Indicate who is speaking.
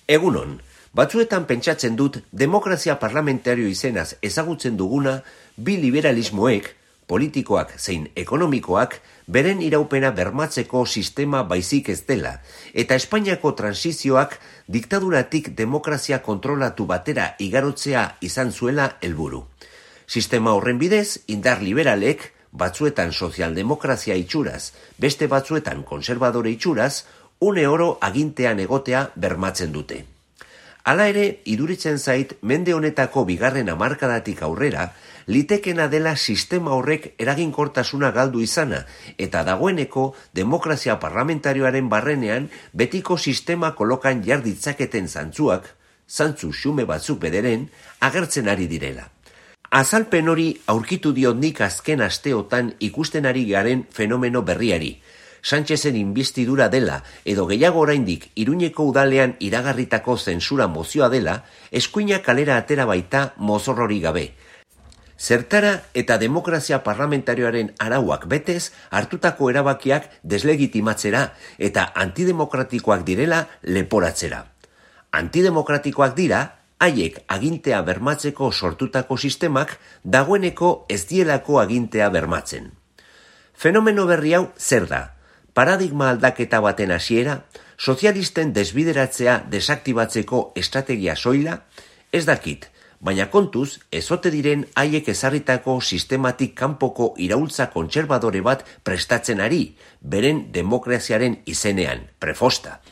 Speaker 1: Egunon, batzuetan pentsatzen dut demokrazia parlamentario izenaz ezagutzen duguna bi liberalismoek, politikoak zein ekonomikoak, beren iraupena bermatzeko sistema baizik ez dela, eta Espainiako transizioak diktaduratik demokrazia kontrolatu batera igarotzea izan zuela helburu. Sistema horren bidez, indar liberalek, batzuetan sozialdemokrazia itxuraz, beste batzuetan konservadore itxuraz, une oro agintean egotea bermatzen dute. Hala ere, iduritzen zait, mende honetako bigarren hamarkadatik aurrera, litekena dela sistema horrek eraginkortasuna galdu izana, eta dagoeneko demokrazia parlamentarioaren barrenean betiko sistema kolokan jarditzaketen zantzuak, zantzu xume batzuk bederen, agertzen ari direla. Azalpen hori aurkitu diot nik azken asteotan ikusten ari garen fenomeno berriari. Sánchezen inbestidura dela edo gehiago oraindik Iruñeko udalean iragarritako zentsura mozioa dela, eskuinak kalera atera baita mozorrori gabe. Zertara eta demokrazia parlamentarioaren arauak betez hartutako erabakiak deslegitimatzera eta antidemokratikoak direla leporatzera. Antidemokratikoak dira, haiek agintea bermatzeko sortutako sistemak dagoeneko ez dielako agintea bermatzen. Fenomeno berri hau zer da? Paradigma aldaketa baten hasiera, sozialisten desbideratzea desaktibatzeko estrategia soila, ez dakit, baina kontuz, ez ote diren haiek ezarritako sistematik kanpoko iraultza kontserbadore bat prestatzen ari, beren demokraziaren izenean, prefosta.